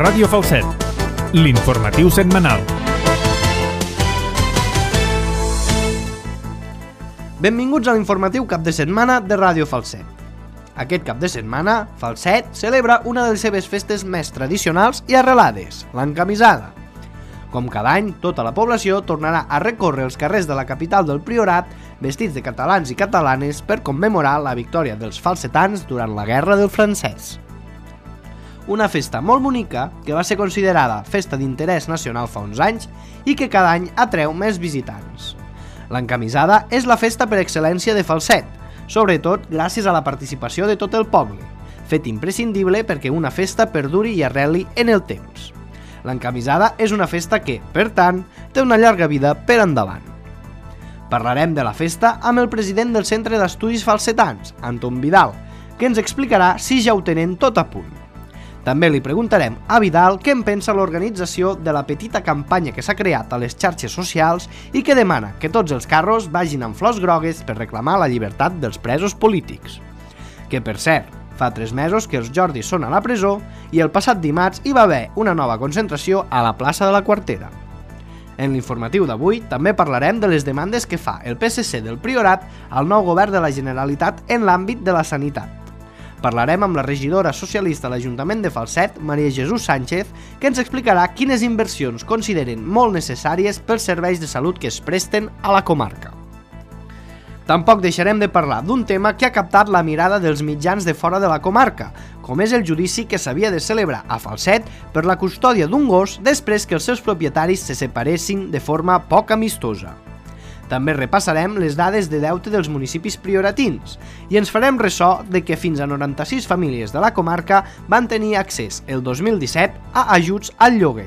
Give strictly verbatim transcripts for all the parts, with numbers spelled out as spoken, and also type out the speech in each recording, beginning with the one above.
Ràdio Falset, l'informatiu setmanal. Benvinguts a l'informatiu cap de setmana de Ràdio Falset. Aquest cap de setmana, Falset celebra una de les seves festes més tradicionals i arrelades, l'encamisada. Com cada any, tota la població tornarà a recórrer els carrers de la capital del Priorat vestits de catalans i catalanes per commemorar la victòria dels falsetans durant la Guerra del Francès. Una festa molt bonica que va ser considerada festa d'interès nacional fa uns anys i que cada any atreu més visitants. L'encamisada és la festa per excel·lència de Falset, sobretot gràcies a la participació de tot el poble, fet imprescindible perquè una festa perduri i arreli en el temps. L'encamisada és una festa que, per tant, té una llarga vida per endavant. Parlarem de la festa amb el president del Centre d'Estudis Falsetans, Anton Vidal, que ens explicarà si ja ho tenen tot a punt. També li preguntarem a Vidal què en pensa l'organització de la petita campanya que s'ha creat a les xarxes socials i que demana que tots els carros vagin amb flors grogues per reclamar la llibertat dels presos polítics. Que, per cert, fa tres mesos que els Jordis són a la presó i el passat dimarts hi va haver una nova concentració a la plaça de la Quartera. En l'informatiu d'avui també parlarem de les demandes que fa el P S C del Priorat al nou govern de la Generalitat en l'àmbit de la sanitat. Parlarem amb la regidora socialista de l'Ajuntament de Falset, Maria Jesús Sánchez, que ens explicarà quines inversions consideren molt necessàries pels serveis de salut que es presten a la comarca. Tampoc deixarem de parlar d'un tema que ha captat la mirada dels mitjans de fora de la comarca, com és el judici que s'havia de celebrar a Falset per la custòdia d'un gos després que els seus propietaris se separessin de forma poc amistosa. També repassarem les dades de deute dels municipis prioratins i ens farem ressò de que fins a noranta-sis famílies de la comarca van tenir accés el dos mil disset a ajuts al lloguer.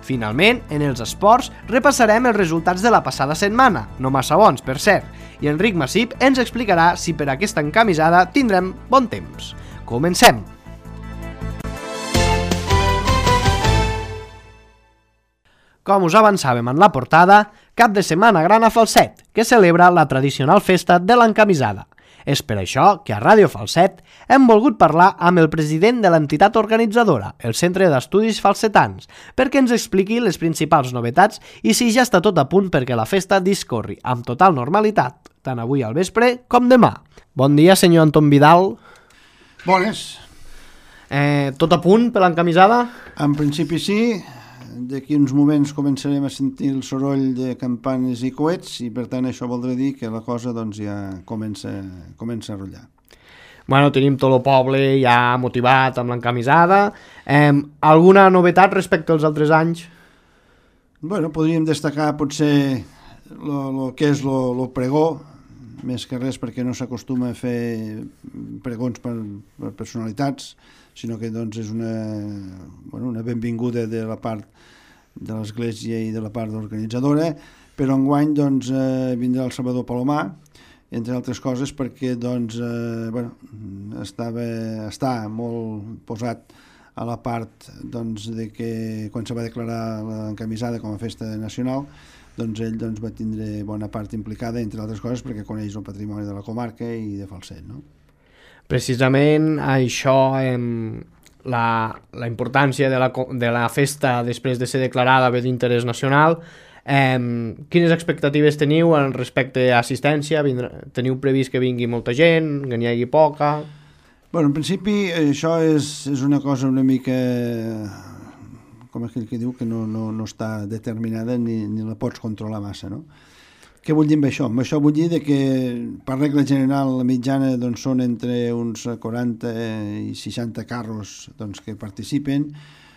Finalment, en els esports, repassarem els resultats de la passada setmana, no massa bons, per cert, i Enric Massip ens explicarà si per aquesta encamisada tindrem bon temps. Comencem! Com us avançàvem en la portada, cap de setmana gran a Falset, que celebra la tradicional festa de l'encamisada. És per això que a Ràdio Falset hem volgut parlar amb el president de l'entitat organitzadora, el Centre d'Estudis Falsetans, perquè ens expliqui les principals novetats i si ja està tot a punt perquè la festa discorri amb total normalitat, tant avui al vespre com demà. Bon dia, senyor Anton Vidal. Bones. Eh, tot a punt per l'encamisada? En principi sí. D'aquí uns moments començarem a sentir el soroll de campanes i coets i per tant això voldrà dir que la cosa doncs, ja comença, comença a rotllar. Bueno, tenim tot el poble ja motivat amb l'encamisada. Eh, alguna novetat respecte als altres anys? Bueno, podríem destacar potser el que és el pregó, més que res perquè no s'acostuma a fer pregons per, per personalitats, sinó que doncs, és una, bueno, una benvinguda de la part de l'Església i de la part organitzadora, però enguany doncs, eh, vindrà el Salvador Palomar, entre altres coses perquè doncs, eh, bueno, estava, està molt posat a la part doncs, de que quan se va declarar l'encamisada com a festa nacional, doncs ell doncs, va tindre bona part implicada, entre altres coses perquè coneix el patrimoni de la comarca i de Falset, no? Precisament això, eh, la, la importància de la, de la festa després de ser declarada bé d'interès nacional, eh, quines expectatives teniu en respecte a assistència? Vindrà, teniu previst que vingui molta gent, que n'hi hagi poca? Bueno, en principi això és, és una cosa una mica, com aquell que diu, que no, no, no està determinada ni, ni la pots controlar massa, no? Què vull dir amb això? Amb això vull dir que per regla general la mitjana doncs, són entre uns quaranta i seixanta carros doncs, que participen,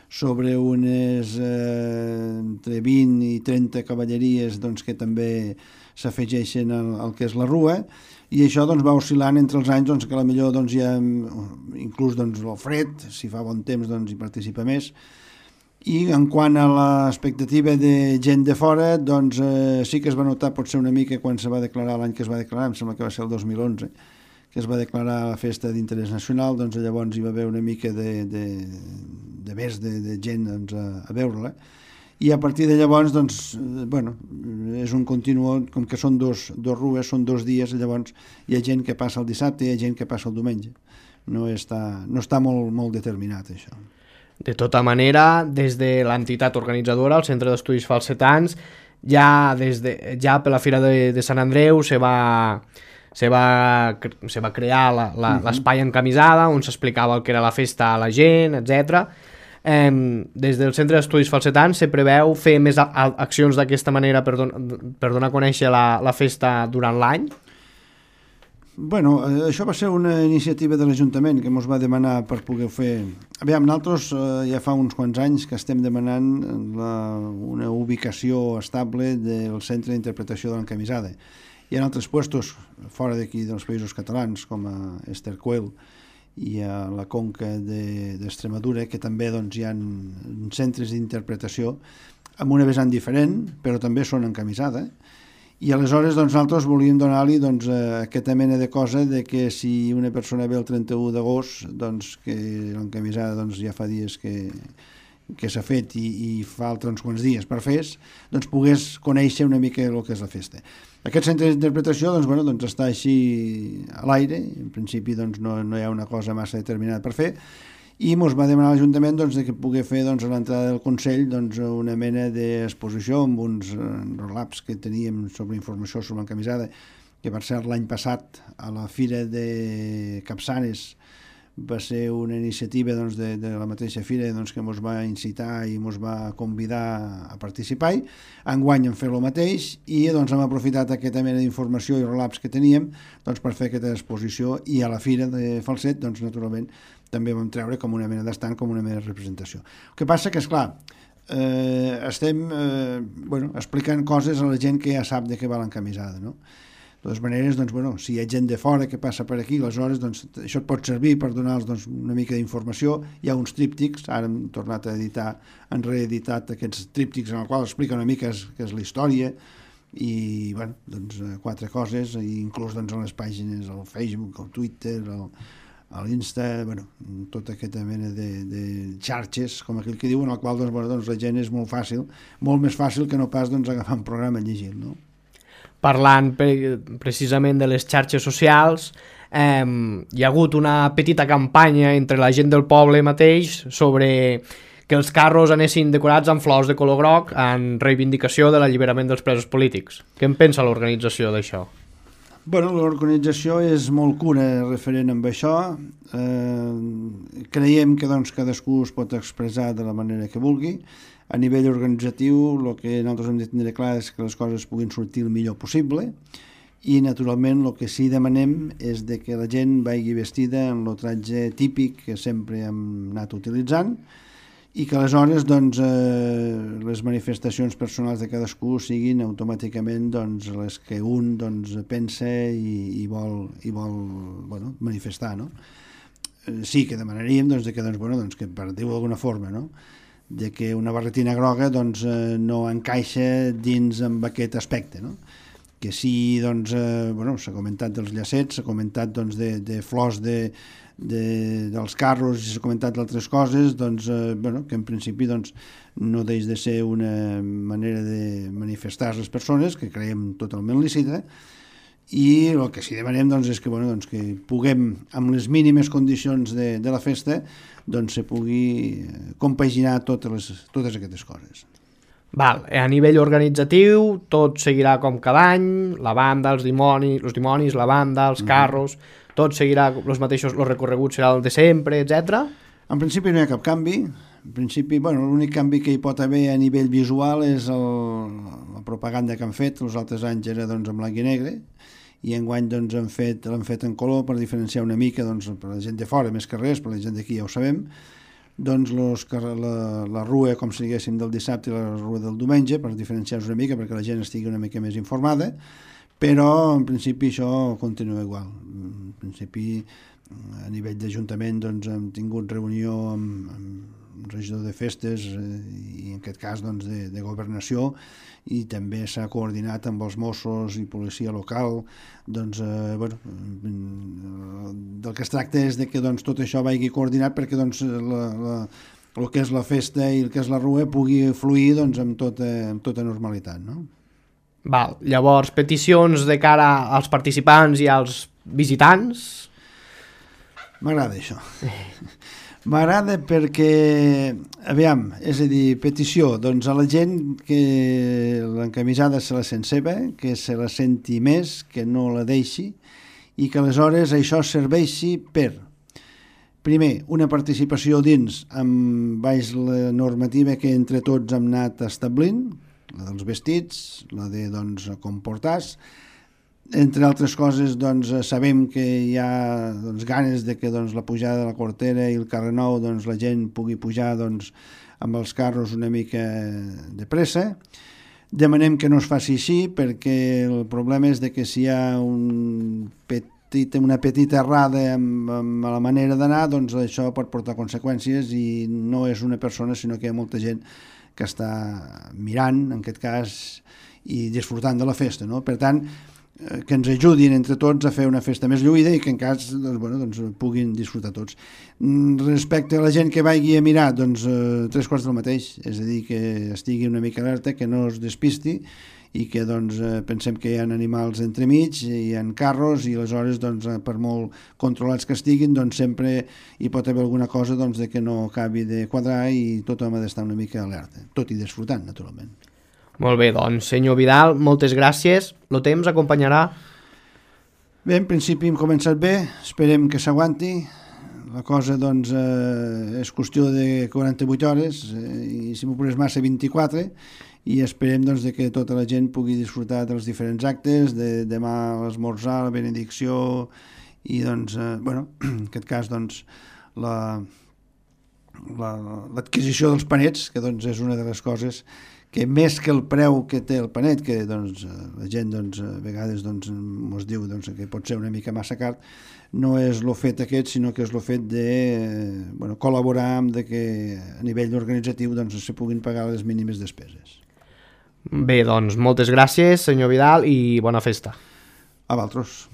sobre unes eh, entre vint i trenta cavalleries doncs, que també s'afegeixen al, al que és la rua, i això doncs, va oscil·lant entre els anys doncs, que potser doncs, hi ha inclús doncs, el fred, si fa bon temps doncs, hi participa més. I en quant a l'expectativa de gent de fora, doncs eh, sí que es va notar potser una mica quan se va declarar l'any que es va declarar, em sembla que va ser el dos mil onze, que es va declarar la festa d'interès nacional, doncs llavors hi va haver una mica de, de, de més de, de gent doncs, a, a veure-la. I a partir de llavors, doncs, eh, bueno, és un continu, com que són dos, dos rues, són dos dies, llavors hi ha gent que passa el dissabte i hi ha gent que passa el diumenge. No està, no està molt, molt determinat, això. De tota manera, des de l'entitat organitzadora, el Centre d'Estudis Falsetans, ja, des de, ja per la Fira de, de Sant Andreu se va, se va, se va crear la, la, uh-huh. l'espai encamisada on s'explicava el que era la festa a la gent, etcètera. Eh, des del Centre d'Estudis Falsetans se preveu fer més a, a, accions d'aquesta manera per, don, per donar a conèixer la, la festa durant l'any? Bueno, això va ser una iniciativa de l'Ajuntament que ens va demanar per poder fer... Aviam, nosaltres eh, ja fa uns quants anys que estem demanant la, una ubicació estable del Centre d'Interpretació de l'Encamisada. Hi ha altres puestos fora d'aquí dels països catalans, com a Estercuel i a la Conca d'Extremadura, que també doncs, hi ha centres d'interpretació amb una vessant diferent, però també són encamisada. I aleshores doncs, nosaltres volíem donar-li doncs, aquesta mena de cosa de que si una persona ve el trenta-u d'agost, doncs, que l'encamisada doncs, ja fa dies que, que s'ha fet i, i falta uns quants dies per fer, doncs pogués conèixer una mica el que és la festa. Aquest centre d'interpretació doncs, bueno, doncs, està així a l'aire, en principi doncs, no, no hi ha una cosa massa determinada per fer, i ens va demanar a l'Ajuntament doncs, que pugui fer doncs, a l'entrada del Consell doncs, una mena d'exposició amb uns relaps que teníem sobre informació sobre l'encamisada, que per cert l'any passat a la Fira de Capçanes va ser una iniciativa doncs, de, de la mateixa fira doncs, que ens va incitar i ens va convidar a participar. Enguany hem fet el mateix i doncs, hem aprofitat aquesta mena d'informació i relaps que teníem doncs, per fer aquesta exposició, i a la Fira de Falset doncs, naturalment també vam treure com una mena d'estand, com una mena de representació. El que passa que, esclar, eh, estem eh, bueno, explicant coses a la gent que ja sap de què va l'encamisada, no? De totes maneres, doncs, bueno, si hi ha gent de fora que passa per aquí, aleshores doncs, això et pot servir per donar-los doncs, una mica d'informació. Hi ha uns tríptics, ara hem tornat a editar, han reeditat aquests tríptics en el qual explica una mica què és la història, i bueno, doncs, quatre coses, i inclús doncs, a les pàgines, al Facebook, al Twitter, al, a l'Insta, bueno, tota aquesta mena de, de xarxes, com aquell que diu, en el qual doncs, bueno, doncs, la gent és molt fàcil, molt més fàcil que no pas doncs, agafar un programa i llegir, no? Parlant pre precisament de les xarxes socials, eh, hi ha hagut una petita campanya entre la gent del poble mateix sobre que els carros anessin decorats amb flors de color groc en reivindicació de l'alliberament dels presos polítics. Què en pensa l'organització d'això? Bueno, l'organització és molt cura referent amb això. Eh, creiem que doncs, cadascú es pot expressar de la manera que vulgui. A nivell organitzatiu, el que nosaltres hem de tindre clar és que les coses puguin sortir el millor possible, i naturalment el que sí demanem és de que la gent vagi vestida en el tratge típic que sempre hem anat utilitzant, i que aleshores doncs, eh, les manifestacions personals de cadascú siguin automàticament doncs, les que un doncs, pensa i, i vol, i vol bueno, manifestar, no? Eh, sí que demanaríem doncs, que, doncs, bueno, doncs, que per dir-ho d'alguna forma, no? De que una barretina groga doncs, eh, no encaixa dins amb aquest aspecte, no? Que sí, doncs, eh, bueno, s'ha comentat dels llacets, s'ha comentat doncs, de, de flors de, de, dels carros, i s'ha comentat d'altres coses, doncs, eh, bueno, que en principi doncs, no deix de ser una manera de manifestar les persones, que creiem totalment lícita, i el que sí demanem doncs, és que, bueno, doncs, que puguem, amb les mínimes condicions de, de la festa, doncs se pugui compaginar totes, les, totes aquestes coses. Val, a nivell organitzatiu tot seguirà com cada any, la banda, els dimonis, els dimonis, la banda, els carros, mm-hmm. tot seguirà els mateixos, el recorregut serà el de sempre, etcètera. En principi no hi ha cap canvi. En principi, bueno, l'únic canvi que hi pot haver a nivell visual és el, la propaganda que han fet. Els altres anys era doncs, en blanc i negre, i enguany doncs, han fet, l'han fet en color per diferenciar una mica doncs, per la gent de fora, més que res, per la gent d'aquí ja ho sabem, doncs los, la, la rua, com si diguéssim, del dissabte i la rua del diumenge, per diferenciar-nos una mica, perquè la gent estigui una mica més informada, però en principi això continua igual. En principi, a nivell d'Ajuntament, doncs, hem tingut reunió amb, amb regidor de festes i en aquest cas doncs, de, de governació, i també s'ha coordinat amb els Mossos i policia local. Doncs, eh, bueno, del que es tracta és de que doncs, tot això vagi coordinat perquè doncs, la, la, el que és la festa i el que és la rua pugui fluir doncs, amb, tota, amb tota normalitat, no? Val. Llavors, peticions de cara als participants i als visitants? M'agrada això. M'agrada perquè, aviam, és a dir, petició, doncs a la gent que l'encamisada se la sent seva, que se la senti més, que no la deixi, i que aleshores això serveixi per, primer, una participació dins amb baix la normativa que entre tots hem anat establint, la dels vestits, la de doncs, comportar-se. Entre altres coses, doncs, sabem que hi ha doncs, ganes de que doncs, la pujada de la Cortera i el carrer Nou doncs, la gent pugui pujar doncs, amb els carros una mica de pressa. Demanem que no es faci així perquè el problema és de que si hi ha un petit, una petita errada amb, amb la manera d'anar, doncs això pot portar conseqüències i no és una persona sinó que hi ha molta gent que està mirant, en aquest cas, i disfrutant de la festa, no? Per tant, que ens ajudin entre tots a fer una festa més lluïda i que en cas doncs, bueno, doncs, puguin disfrutar tots. Respecte a la gent que vagi a mirar, doncs eh, tres quarts del mateix, és a dir, que estigui una mica alerta, que no es despisti i que doncs, eh, pensem que hi ha animals entremig, hi ha carros i aleshores doncs, per molt controlats que estiguin doncs, sempre hi pot haver alguna cosa doncs, de que no acabi de quadrar i tothom ha d'estar una mica alerta, tot i disfrutant naturalment. Molt bé, doncs, senyor Vidal, moltes gràcies. El temps acompanyarà? Bé, en principi hem començat bé, esperem que s'aguanti. La cosa, doncs, eh, és qüestió de quaranta-vuit hores, eh, i si m'ho posés massa, vint-i-quatre, i esperem doncs, de que tota la gent pugui disfrutar dels diferents actes, de demà l'esmorzar, la benedicció, i, doncs, eh, bueno, en aquest cas, doncs, la, la, l'adquisició dels panets, que doncs, és una de les coses que més que el preu que té el panet, que doncs, la gent doncs, a vegades doncs, ens diu doncs, que pot ser una mica massa car, no és el fet aquest, sinó que és el fet de bueno, col·laborar amb de que a nivell organitzatiu doncs, se puguin pagar les mínimes despeses. Bé, doncs, moltes gràcies, senyor Vidal, i bona festa. A vosaltres.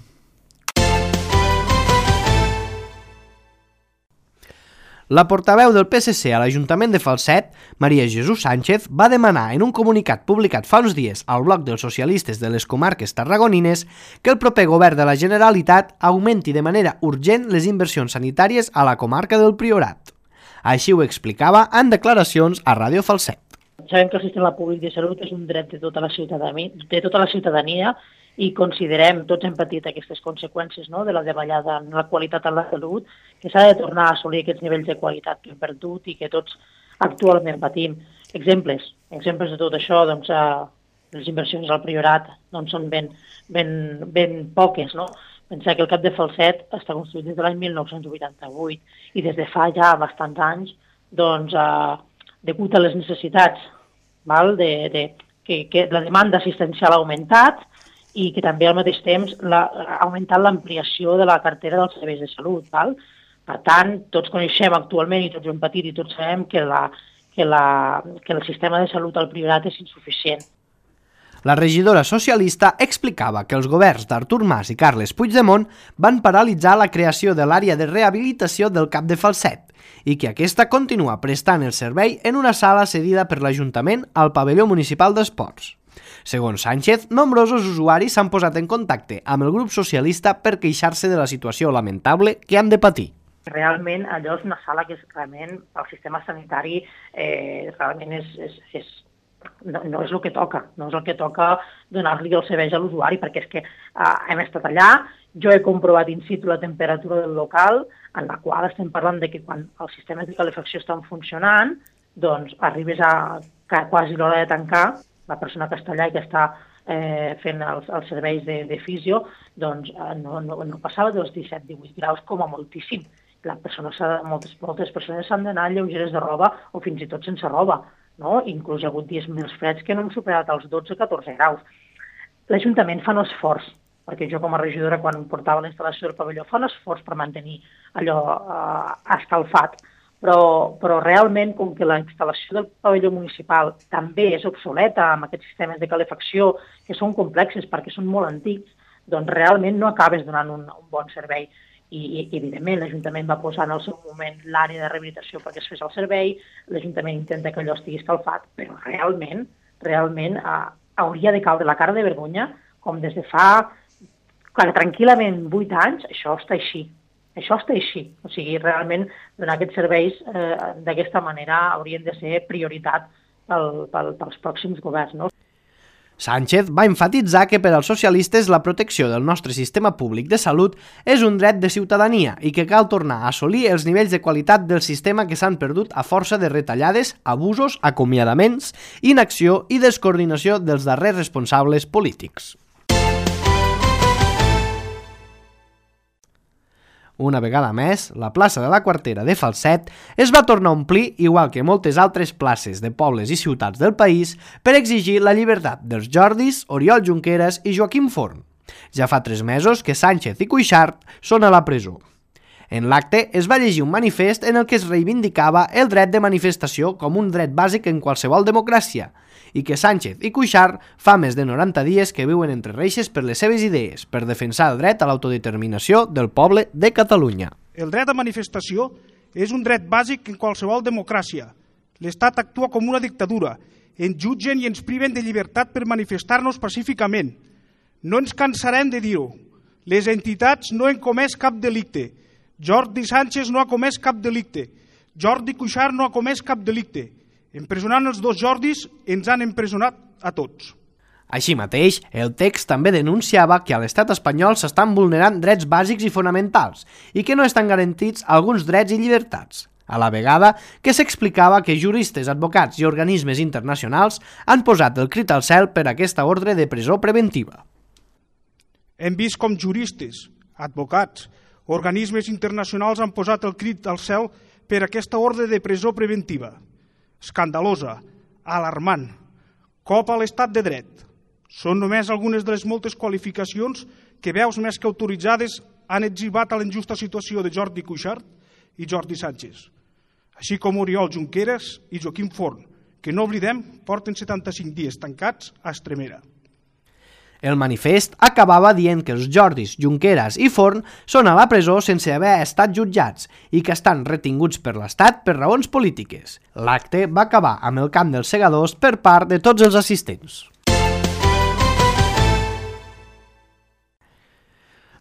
La portaveu del P S C a l'Ajuntament de Falset, Maria Jesús Sánchez, va demanar en un comunicat publicat fa uns dies al bloc dels socialistes de les comarques tarragonines que el proper govern de la Generalitat augmenti de manera urgent les inversions sanitàries a la comarca del Priorat. Així ho explicava en declaracions a Ràdio Falset. Sabem que el sistema públic de salut és un dret de tota la ciutadania, de tota la ciutadania i considerem, tots hem patit aquestes conseqüències no? de la davallada en la qualitat de la salut, que s'ha de tornar a assolir aquests nivells de qualitat que hem perdut i que tots actualment patim. Exemples, exemples de tot això, doncs, eh, les inversions al Priorat doncs, són ben, ben, ben poques. No? Pensar que el Cap de Falset està construït des de l'any mil nou-cents vuitanta-vuit i des de fa ja bastants anys, doncs, eh, degut a les necessitats, val? De, de, que, que la demanda assistencial ha augmentat, i que també al mateix temps la, ha augmentat l'ampliació de la cartera dels serveis de salut. Val? Per tant, tots coneixem actualment i tots ho hem patit i tots sabem que, la, que, la, que el sistema de salut al Priorat és insuficient. La regidora socialista explicava que els governs d'Artur Mas i Carles Puigdemont van paralitzar la creació de l'àrea de rehabilitació del Cap de Falset i que aquesta continua prestant el servei en una sala cedida per l'Ajuntament al pavelló municipal d'esports. Segons Sánchez, nombrosos usuaris s'han posat en contacte amb el grup socialista per queixar-se de la situació lamentable que han de patir. Realment allò és una sala que és realment el sistema sanitari eh, realment és, és, és, no, no és el que toca, no és el que toca donar-li els serveis a l'usuari, perquè és que eh, hem estat allà, jo he comprovat in situ la temperatura del local, en la qual estem parlant de que quan els sistemes de calefacció estan funcionant, doncs arribes a, a quasi l'hora de tancar, la persona que està allà i que està eh, fent els, els serveis de, de fisio, doncs eh, no, no, no passava dels disset a divuit graus com a moltíssim. La persona moltes, moltes persones s'han d'anar lleugeres de roba o fins i tot sense roba. No? Inclús hi ha hagut dies més freds que no hem superat els dotze a catorze graus. L'Ajuntament fa un esforç, perquè jo com a regidora quan portava la instal·lació del pavelló fa un esforç per mantenir allò eh, escalfat. Però, però realment, com que la instal·lació del pavelló municipal també és obsoleta amb aquests sistemes de calefacció que són complexes perquè són molt antics, doncs realment no acabes donant un, un bon servei. I, i evidentment, l'Ajuntament va posar en el seu moment l'àrea de rehabilitació perquè es fes el servei, l'Ajuntament intenta que allò estigui escalfat, però realment, realment eh, hauria de caure la cara de vergonya, com des de fa, clar, tranquil·lament vuit anys, això està així. Això està així. O sigui, realment donar aquests serveis eh, d'aquesta manera haurien de ser prioritat pel, pel, pels pròxims governs, no? Sánchez va enfatitzar que per als socialistes la protecció del nostre sistema públic de salut és un dret de ciutadania i que cal tornar a assolir els nivells de qualitat del sistema que s'han perdut a força de retallades, abusos, acomiadaments, inacció i descoordinació dels darrers responsables polítics. Una vegada més, la plaça de la Quartera de Falset es va tornar a omplir, igual que moltes altres places de pobles i ciutats del país, per exigir la llibertat dels Jordis, Oriol Junqueras i Joaquim Forn. Ja fa tres mesos que Sánchez i Cuixart són a la presó. En l'acte es va llegir un manifest en el que es reivindicava el dret de manifestació com un dret bàsic en qualsevol democràcia i que Sánchez i Cuixart fa més de noranta dies que viuen entre reixes per les seves idees, per defensar el dret a l'autodeterminació del poble de Catalunya. El dret a manifestació és un dret bàsic en qualsevol democràcia. L'Estat actua com una dictadura. Ens jutgen i ens priven de llibertat per manifestar-nos pacíficament. No ens cansarem de dir-ho. Les entitats no han comès cap delicte. Jordi Sánchez no ha comès cap delicte. Jordi Cuixart no ha comès cap delicte. Empresonant els dos Jordis ens han empresonat a tots. Així mateix, el text també denunciava que a l'estat espanyol s'estan vulnerant drets bàsics i fonamentals i que no estan garantits alguns drets i llibertats. A la vegada que s'explicava que juristes, advocats i organismes internacionals han posat el crit al cel per aquesta ordre de presó preventiva. Hem vist com juristes, advocats, organismes internacionals han posat el crit al cel per aquesta ordre de presó preventiva. Escandalosa, alarmant, cop a l'estat de dret. Són només algunes de les moltes qualificacions que veus més que autoritzades han etzibat a la injusta situació de Jordi Cuixart i Jordi Sánchez, així com Oriol Junqueras i Joaquim Forn, que no oblidem porten setanta-cinc dies tancats a Extremera. El manifest acabava dient que els Jordis, Junqueras i Forn són a la presó sense haver estat jutjats i que estan retinguts per l'Estat per raons polítiques. L'acte va acabar amb el cant dels segadors per part de tots els assistents.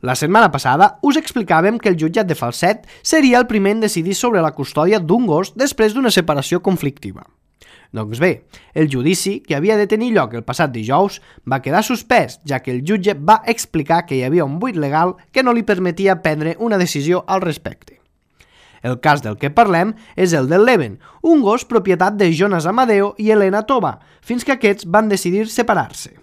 La setmana passada us explicàvem que el jutjat de Falset seria el primer en decidir sobre la custòdia d'un gos després d'una separació conflictiva. Doncs bé, el judici, que havia de tenir lloc el passat dijous, va quedar suspès, ja que el jutge va explicar que hi havia un buit legal que no li permetia prendre una decisió al respecte. El cas del que parlem és el del Leven, un gos propietat de Jonas Amadeo i Elena Tova, fins que aquests van decidir separar-se.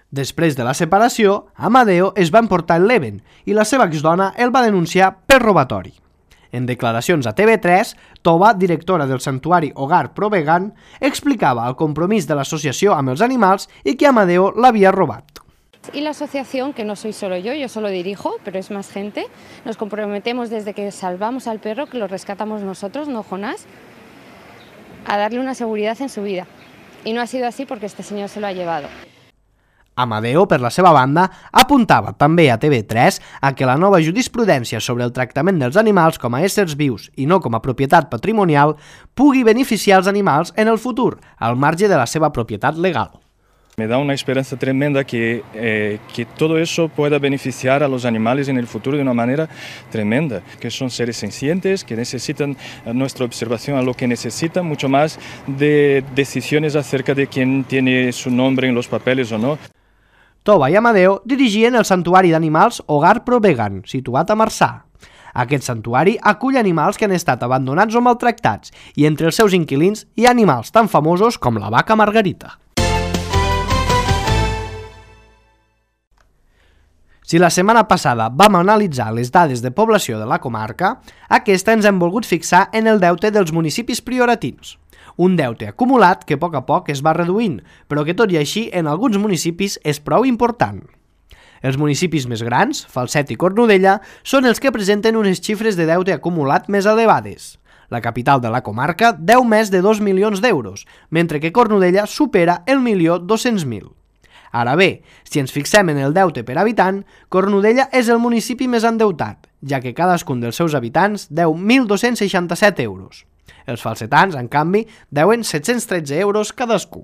Després de la separació, Amadeo es va emportar el Leven i la seva exdona el va denunciar per robatori. En declaracions a T V tres, Tova, directora del santuari Hogar Pro Vegan, explicava el compromís de l'associació amb els animals i que Amadeo l'havia robat. Y la asociación, que no soy solo yo, yo solo dirijo, pero es más gente, nos comprometemos desde que salvamos al perro, que lo rescatamos nosotros, no Jonás, a darle una seguridad en su vida. Y no ha sido así porque este señor se lo ha llevado. Amadeo, per la seva banda, apuntava també a T V tres a que la nova jurisprudència sobre el tractament dels animals com a éssers vius i no com a propietat patrimonial pugui beneficiar els animals en el futur, al marge de la seva propietat legal. Me da una esperanza tremenda que, eh, que todo eso pueda beneficiar a los animales en el futuro de una manera tremenda, que son seres sencientes, que necesitan nuestra observación a lo que necesitan, mucho más de decisiones acerca de quién tiene su nombre en los papeles o no. Tova i Amadeo dirigien el santuari d'animals Hogar Pro Vegan, situat a Marçà. Aquest santuari acull animals que han estat abandonats o maltractats i entre els seus inquilins hi ha animals tan famosos com la vaca Margarita. Si la setmana passada vam analitzar les dades de població de la comarca, aquesta ens hem volgut fixar en el deute dels municipis prioratins. Un deute acumulat que a poc a poc es va reduint, però que tot i així en alguns municipis és prou important. Els municipis més grans, Falset i Cornudella, són els que presenten unes xifres de deute acumulat més elevades. La capital de la comarca deu més de dos milions d'euros, mentre que Cornudella supera el milió dos-cents mil. Ara bé, si ens fixem en el deute per habitant, Cornudella és el municipi més endeutat, ja que cadascun dels seus habitants deu mil dos-cents seixanta-set euros. Els falsetans, en canvi, deuen set-cents tretze euros cadascú.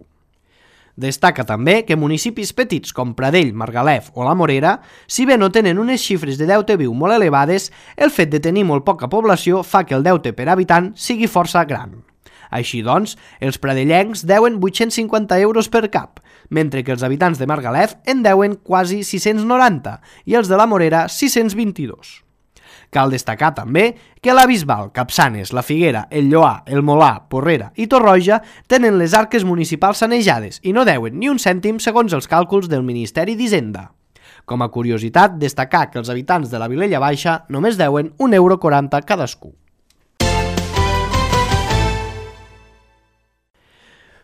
Destaca també que municipis petits com Pradell, Margalef o la Morera, si bé no tenen unes xifres de deute viu molt elevades, el fet de tenir molt poca població fa que el deute per habitant sigui força gran. Així doncs, els pradellencs deuen vuit-cents cinquanta euros per cap, mentre que els habitants de Margalef en deuen quasi sis-cents noranta i els de la Morera sis-cents vint-i-dos. Cal destacar també que la Bisbal, Capçanes, la Figuera, el Lloar, el Molà, Porrera i Torroja tenen les arques municipals sanejades i no deuen ni un cèntim segons els càlculs del Ministeri d'Hisenda. Com a curiositat, destacar que els habitants de la Vilella Baixa només deuen un euro quaranta cadascú.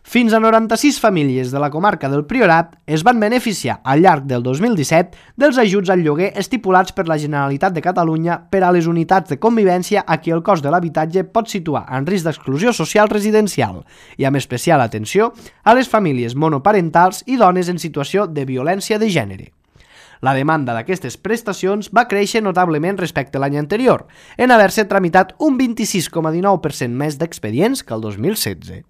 Fins a noranta-sis famílies de la comarca del Priorat es van beneficiar al llarg del dos mil disset dels ajuts al lloguer estipulats per la Generalitat de Catalunya per a les unitats de convivència a qui el cost de l'habitatge pot situar en risc d'exclusió social residencial i amb especial atenció a les famílies monoparentals i dones en situació de violència de gènere. La demanda d'aquestes prestacions va créixer notablement respecte a l'any anterior, en haver-se tramitat un vint-i-sis coma dinou per cent més d'expedients que el dos mil setze.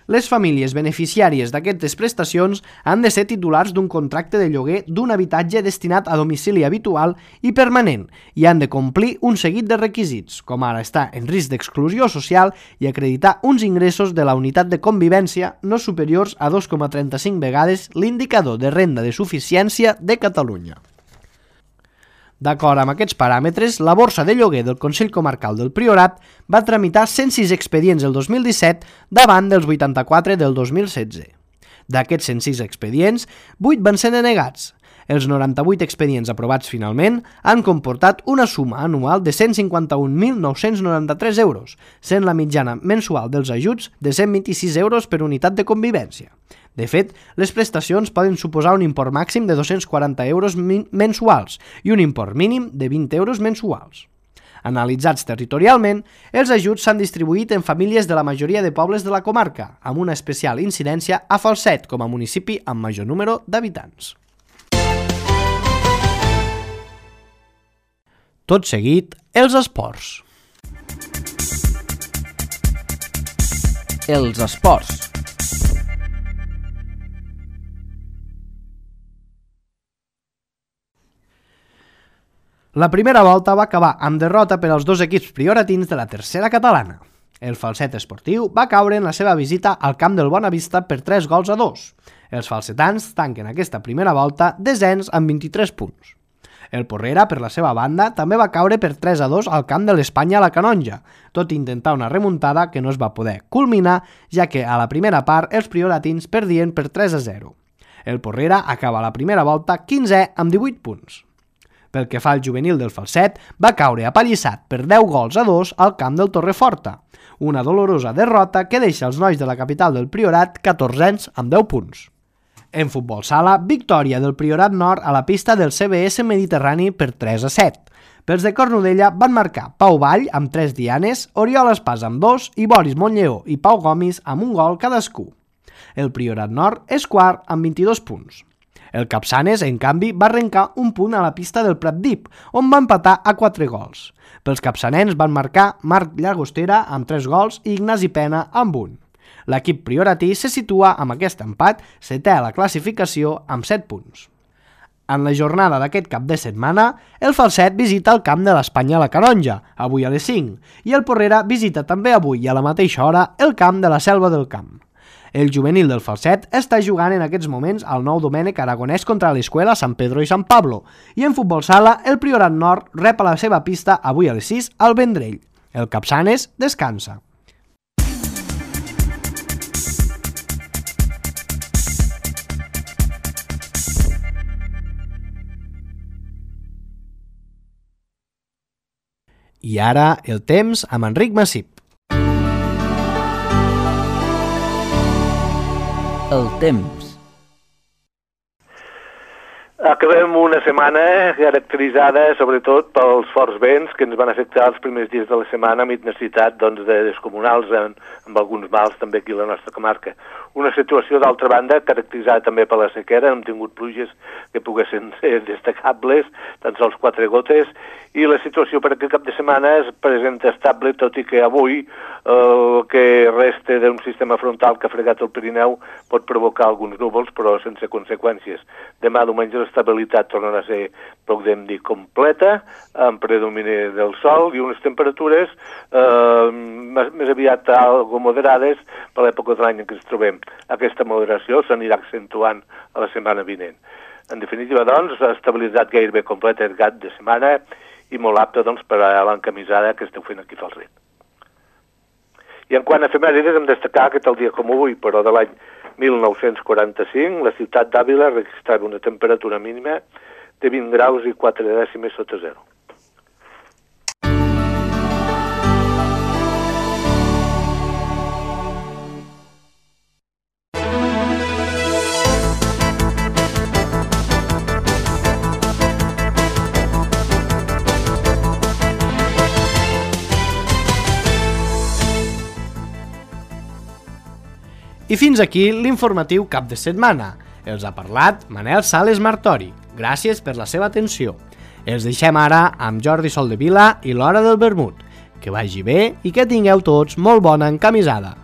Les famílies beneficiàries d'aquestes prestacions han de ser titulars d'un contracte de lloguer d'un habitatge destinat a domicili habitual i permanent i han de complir un seguit de requisits, com ara estar en risc d'exclusió social i acreditar uns ingressos de la unitat de convivència no superiors a dos coma trenta-cinc vegades l'indicador de renda de suficiència de Catalunya. D'acord amb aquests paràmetres, la borsa de lloguer del Consell Comarcal del Priorat va tramitar cent sis expedients el dos mil disset davant dels vuitanta-quatre del dos mil setze. D'aquests cent sis expedients, vuit van ser denegats. Els noranta-vuit expedients aprovats finalment han comportat una suma anual de cent cinquanta-un mil nou-cents noranta-tres euros, sent la mitjana mensual dels ajuts de cent vint-i-sis euros per unitat de convivència. De fet, les prestacions poden suposar un import màxim de dos-cents quaranta euros mensuals i un import mínim de vint euros mensuals. Analitzats territorialment, els ajuts s'han distribuït en famílies de la majoria de pobles de la comarca, amb una especial incidència a Falset com a municipi amb major número d'habitants. Tot seguit, els esports. Els esports. La primera volta va acabar amb derrota per als dos equips prioratins de la tercera catalana. El Falset Esportiu va caure en la seva visita al camp del Bonavista per tres gols a dos. Els falsetans tanquen aquesta primera volta desens amb vint-i-tres punts. El Porrera, per la seva banda, també va caure per tres a dos al camp de l'Espanya a la Canonja, tot i intentar una remuntada que no es va poder culminar, ja que a la primera part els prioratins perdien per tres a zero. El Porrera acaba la primera volta quinzè amb divuit punts. Pel que fa al juvenil del Falset, va caure apallissat per deu gols a dos al camp del Torreforta, una dolorosa derrota que deixa els nois de la capital del Priorat catorzens amb deu punts. En futbol sala, victòria del Priorat Nord a la pista del C B S Mediterrani per tres a set. Pels de Cornudella van marcar Pau Vall amb tres dianes, Oriol Espàs amb dos i Boris Montlleó i Pau Gomis amb un gol cadascú. El Priorat Nord és quart amb vint-i-dos punts. El Capçanes, en canvi, va arrencar un punt a la pista del Pratdip, on va empatar a quatre gols. Pels capçanens van marcar Marc Llagostera amb tres gols i Ignasi Pena amb un. L'equip prioratí se situa amb aquest empat setè a la classificació amb set punts. En la jornada d'aquest cap de setmana, el Falset visita el camp de l'Espanya a la Canonja, avui a les cinc, i el Porrera visita també avui i a la mateixa hora el camp de la Selva del Camp. El juvenil del Falset està jugant en aquests moments al Nou Domènec Aragonès contra l'Escuela San Pedro i San Pablo i en futbol sala el Priorat Nord rep a la seva pista avui a les sis al Vendrell. El Capçanes descansa. I ara el temps amb Enric Massip. El temps. Acabem una setmana caracteritzada sobretot pels forts vents que ens van afectar els primers dies de la setmana amb intensitat doncs, de descomunals en, amb alguns mals també aquí a la nostra comarca. Una situació, d'altra banda, caracteritzada també per la sequera, hem tingut pluges que poguessin ser destacables, tan sols quatre gotes, i la situació per aquest cap de setmana es presenta estable, tot i que avui el que resta d'un sistema frontal que ha fregat el Pirineu pot provocar alguns núvols, però sense conseqüències. Demà diumenge l'estabilitat tornarà a ser, podem dir, completa, amb predomini del sol i unes temperatures eh, més aviat algo moderades per l'època de l'any en què ens trobem. Aquesta moderació s'anirà accentuant a la setmana vinent. En definitiva, doncs, estabilitat gairebé completa el cap de setmana i molt apte, doncs, per a l'encamisada que esteu fent aquí a Falset. I en quant a efemèrides, hem destacar que tal dia com avui, però de l'any mil nou-cents quaranta-cinc, la ciutat d'Àvila registrava una temperatura mínima de vint graus i quatre dècimes sota zero. I fins aquí l'informatiu cap de setmana. Els ha parlat Manel Sales Martori. Gràcies per la seva atenció. Els deixem ara amb Jordi Soldevila i l'Hora del Vermut. Que vagi bé i que tingueu tots molt bona encamisada.